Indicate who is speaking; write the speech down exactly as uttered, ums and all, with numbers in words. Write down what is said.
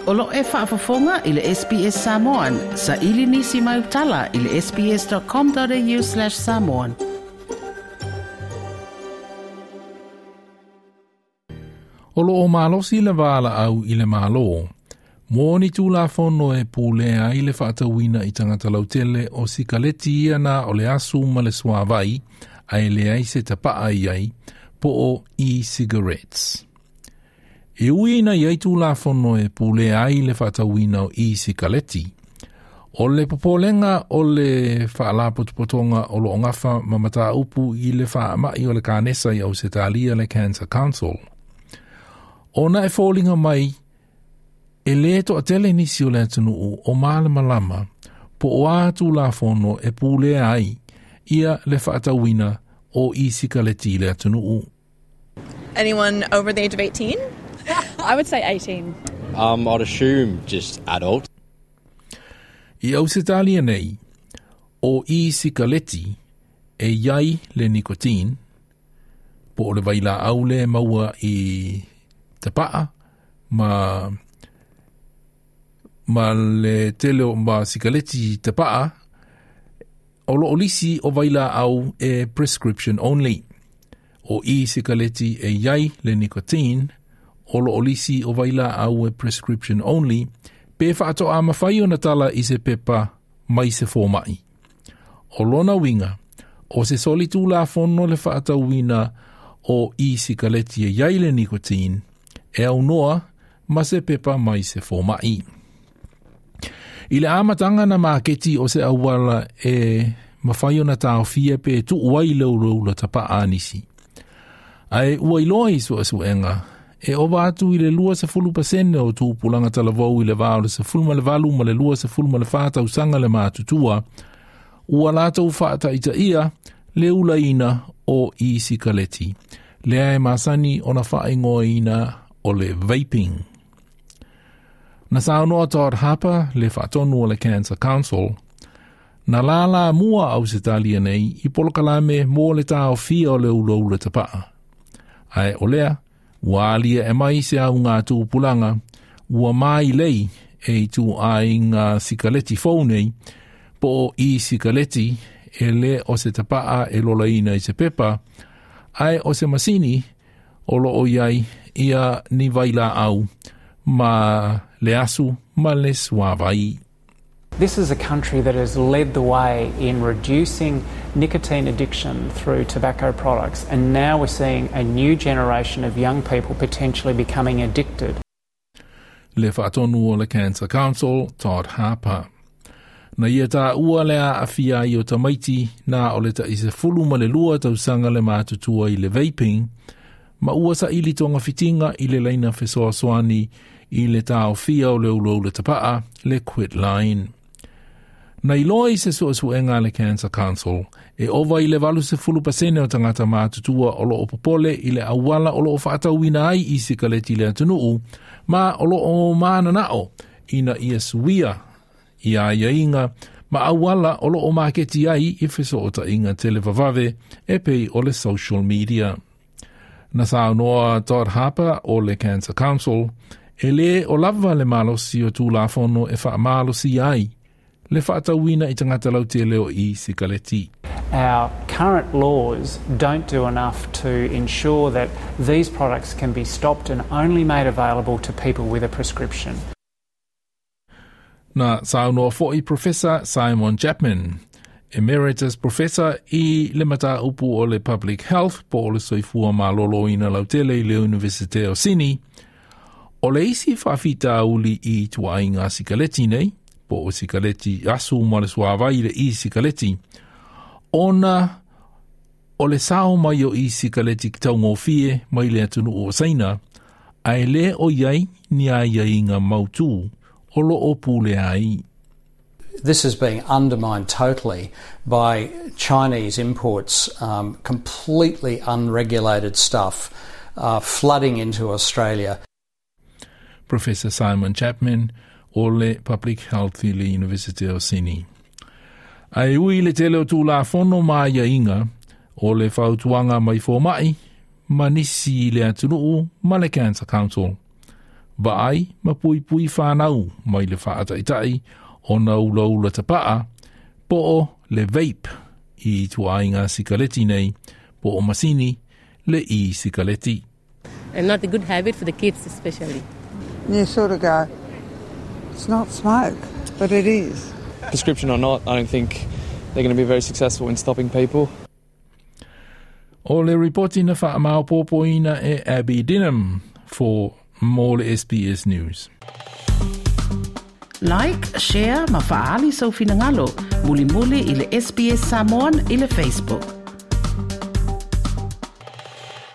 Speaker 1: O lo e faafofoga i le S B S Samoan, sa ili nisi mai utala i le S B S dot com dot A U slash samoan.
Speaker 2: O lo o malosi le valaau i le Malo mo ni tulafono e pulea ai le faatauina i tagata lautele o sikaleti ia na o le asu ma le suavai ae leai se tapaa i ai po o e-cigarettes. E ui ina i ai tulafono e pulea ai le faatauina o e-sikaleti, o le popolega o le faalapotopotoga o lo o gafa ma mataupu i le faamai o le kanesa i Ausetalia, le Cancer Council. Ona e foliga mai e le toatele nisi o le atunuu o malamalama po o a tulafono e pulea ai ia le faatauina o e-sikaleti i le atunuu.
Speaker 3: Anyone over the age of eighteen?
Speaker 4: I would say eighteen.
Speaker 5: Um, I'd assume just adult.
Speaker 2: I Ausetalia nei, o e-sikaleti e iai le nicotine, po o le vailaau le maua i tapaa ma ma le tele o ma sikaleti tapaa, o lo o lisi o vailaau e prescription only. O e-sikaleti e iai le nicotine, o lo o lisi o vailaau e prescription only, pe faatoa mafai ona tala i se pepa mai se fomai. O lona uiga, o se soli tulafono le faatauina o e-sikaleti e iai le nicotine, e aunoa ma se pepa mai se fomai. I le amataga na maketi o se auala e mafai ona taofia pe tuu ai le ulaula tapaa a nisi. Ae ua iloa i suesuega, e ova atu i le lua sefulu pasene o tupulaga talavou i le va o le sefulu ma le valu ma le lua sefulu ma le fa tausaga le matutua, ua latou faataitaia le ulaina o e-sikaleti. Lea e masani ona faaigoaina o le vaping. Na saunoa Todd Harper, le faatonu o le Cancer Council, na lala mua Ausetalia nei i polokalame mo le taofia o le ulaula tapaa. Ae o lea, ua alia e mai se au ngā tupulaga, ua mai lei e i tu ai ngā sikaleti fou nei, po o e-sikaleti e le o se tapaa e lolaina i se pepa, ae o se masini o lo o iai ia ni vailaau ma le asu ma le suavai.
Speaker 6: This is a country that has led the way in reducing nicotine addiction through tobacco products, and now we're seeing a new generation of young people potentially becoming addicted.
Speaker 2: Le faatonu o le Cancer Council, Todd Harper. Na ia taua le aafia ai o tamaiti na o le tai sefulu ma le lua tausaga le matutua i le vaping, ma ua saili togafitiga i le laina fesoasoani i le taofia o le ulaula tapaa, le Quitline. Na iloa i se suesuega a le Cancer Council, e ova i le valu sefulu pasene o tagata matutua o lo o popole i le auala o lo o faatauina ai i sikaleti i le atunuu, ma o lo o mananao ina ia suia i aiaiga ma auala o lo o maketi ai i fesootaiga televavave e pei o le social media. Na saunoa Todd Harper o le Cancer Council, e le o lava le malosi o tulafono e faamalosi ai le faatauina i tagata lautele o e-sikaleti.
Speaker 6: Our current laws don't do enough to ensure that these products can be stopped and only made available to people with a prescription.
Speaker 2: Na saunoa foi Professor Simon Chapman, Emeritus Professor i le mataupu o le Public Health po o le soifua maloloina lautele i le Universite o Sydney, o le isi faafitauli i ituaiga sikaleti nei, po o sikaleti asu ma le suavai, le e-sikaleti, ona o le sao mai o e-sikaleti taugofie mai le atunuu o Saina, ae le o iai ni aiaiga mautū o lo o pulea ai.
Speaker 7: This is being undermined totally by Chinese imports, um, completely unregulated stuff uh, flooding into Australia.
Speaker 2: Professor Simon Chapman o le Public Health i le University of Sydney. Ae ui le tele o tulafono ma aiaiga o le fautuaga mai fomai, ma nisi i le atunuu ma le Cancer Council. Vaai ma puipui whānau mai le whaataitai o na ula ula tapaa, po o le vape i tuainga sikaleti nei, po o masini le i sikaleti.
Speaker 8: And not a good habit for the kids especially.
Speaker 9: You sort of go, it's not smoke, but it is.
Speaker 10: Prescription or not, I don't think they're going to be very successful in stopping people.
Speaker 2: O le ripoti na whaamau e Abby Dinham for mo le S B S News.
Speaker 1: Like, share, ma faali sau finangalo, muli muli i le S B S Samoan i le Facebook.